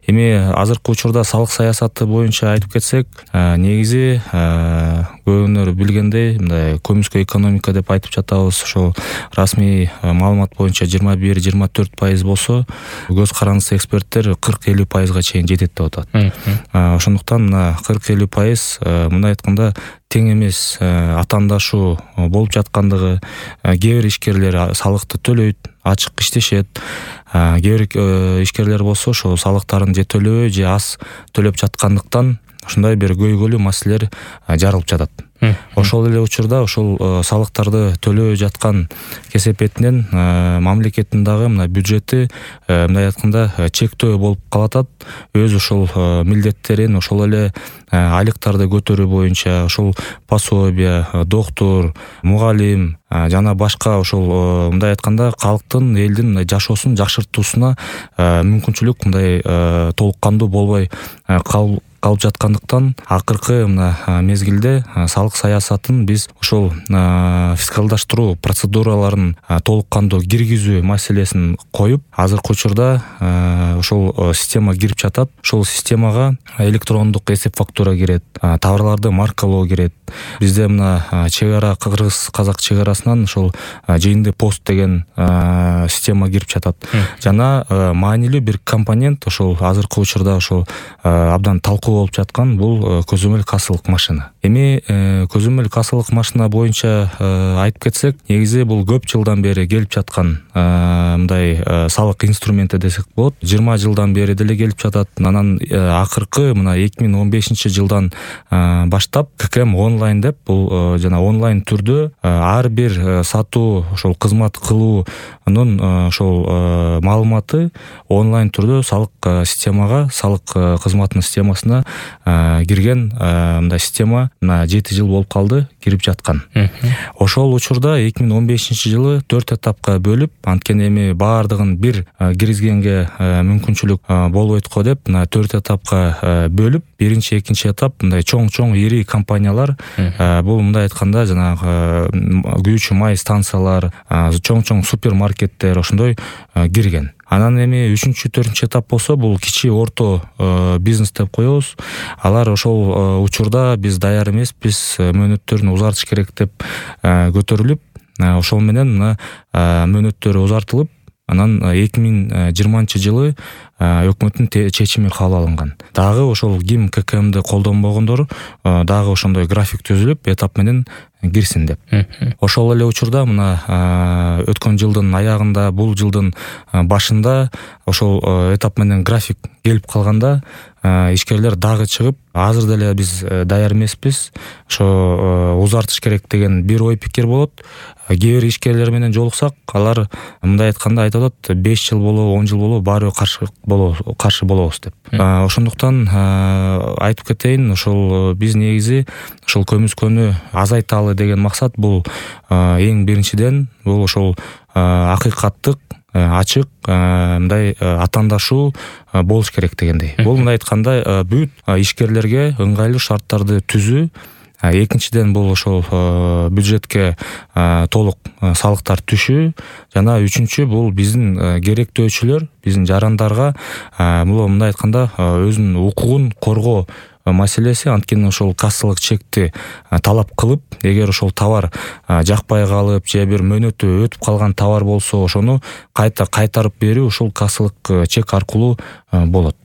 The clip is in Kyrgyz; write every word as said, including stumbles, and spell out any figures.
Эми азыркы учурда салык саясаты боюнча айтып кетсек, негизи көбүнөр билгендей мындай көмүскө экономика деп айтып жатабыз. Ошол расмий маалымат боюнча жыйырма бир жыйырма төрт пайыз болсо, көз карандысы эксперттер кырк элүү пайызга чейин жетет деп атат. Ошондуктан мына кырк элүү пайыз мындай айтканда тең эмес атаандашуу болуп жаткандыгы, кээ бир ишкерлер салыкты төлөйт, ачык иштешет. Кээ бир ишкерлер болсо ошо салыктарын же төлөбөй же аз төлөп жаткандыктан ушундай бир көйгөйлүү маселелер жаралып жатат. Ошол эле учурда ошол салыктарды төлөбөй жаткан кесепетинен мамлекеттин дагы мына бюджети мындай айтканда чектөө болуп калатат. Өз ошол милдеттерин, ошол эле айлыктарды көтөрүү боюнча ошол пособия, доктур, мугалим жана башка ошол мындай айтканда калктын, элдин мындай жашоосун жакшыртуусуна мүмкүнчүлүк мындай толук кандуу болбой калып калып жаткандыктан акыркы мына мезгилде салык саясатын биз ошол фискалдаштыруу процедураларын толук кандуу киргизүү маселесин коюп, азыркы учурда ошол система кирип жатат. Ошол системага электрондук эсеп фактура кирет, товарларды маркалоо кирет. Бизде мына чек ара кыргыз-казак чек арасынан ошол жыйынды пост деген система кирип жатат. Жана маанилүү бир компонент ошол азыркы учурда ошол абдан талкуу болуп жаткан бул көзөмөл кассалык машина. Эми көзөмөл кассалык машина боюнча айтып кетсек, негизи бул көп жылдан бери келип жаткан мындай салык инструменти десек болот. жыйырма жылдан бери деле келип жатат. Анан акыркы мына эки миң он бешинчи жылдан баштап ККМ онлайн деп, бул жана онлайн түрдө ар бир сатуу ошол кызмат кылуунун ошол маалыматы онлайн түрдө салык системага, салык кызматынын системасына кирген мындай система мына жети жыл болуп калды кирип жаткан. Ошол учурда эки миң он бешинчи жылы төрт этапка бөлүп, анткени эми баардыгын бир киргизгенге мүмкүнчүлүк болбойт го деп, мына төрт этапка бөлүп, биринчи, экинчи этап мындай чоң-чоң ири компаниялар, бул мындай айтканда жанагы күйүүчү май станциялар, чоң-чоң супермаркеттер ошондой кирген. Анан эми үчүнчү, төртүнчү этап болсо, бул кичи орто бизнес деп коебуз. Алар ошол учурда биз даяр эмеспиз, мөөнөттөрүн узартыш керек деп көтөрүлүп, ошол менен мына мөөнөттөрү узартылып, анан эки миң жыйырманчы жылы өкмөттүн чечими кабыл алынган. Дагы ошол ким ККМди колдонбогондор дагы ошондой график түзүлүп, этап менен кирсин деп. Ошол эле учурда мына өткөн жылдын аягында, бул жылдын башында ошол этап менен график келип калганда, ишкерлер дагы чыгып, азыр деле биз даяр эмеспиз, ошо узартыш керек деген бир ой пикир болот. Кээ бир ишкерлер менен жолуксак, алар мындай айтканда айтып атат, беш жыл болобу, он жыл болобу, баары каршы болобуз, каршы болобуз деп. Ошондуктан айтып кетейин, ошол биз негизи ошол көмүскөнү азайталы деген максат бул эң биринчиден бул ошол акыйкаттык, ачык мындай атаандашуу болуш керек дегендей. Бул мындай айтканда бүт ишкерлерге ыңгайлуу шарттарды түзүү. Экинчиден бул ошол бюджетке толук салыктар түшүү. Жана үчүнчү бул биздин керектөөчүлөр, биздин жарандарга бул мындай айтканда өзүнүн укугун коргоо маселеси. Анткени ошол кассалык чекти талап кылып, эгер ошол товар жакпай калып же бир мөөнөтү өтүп калган товар болсо, ошону кайта кайтарып берүү ошол кассалык чек аркылуу болот.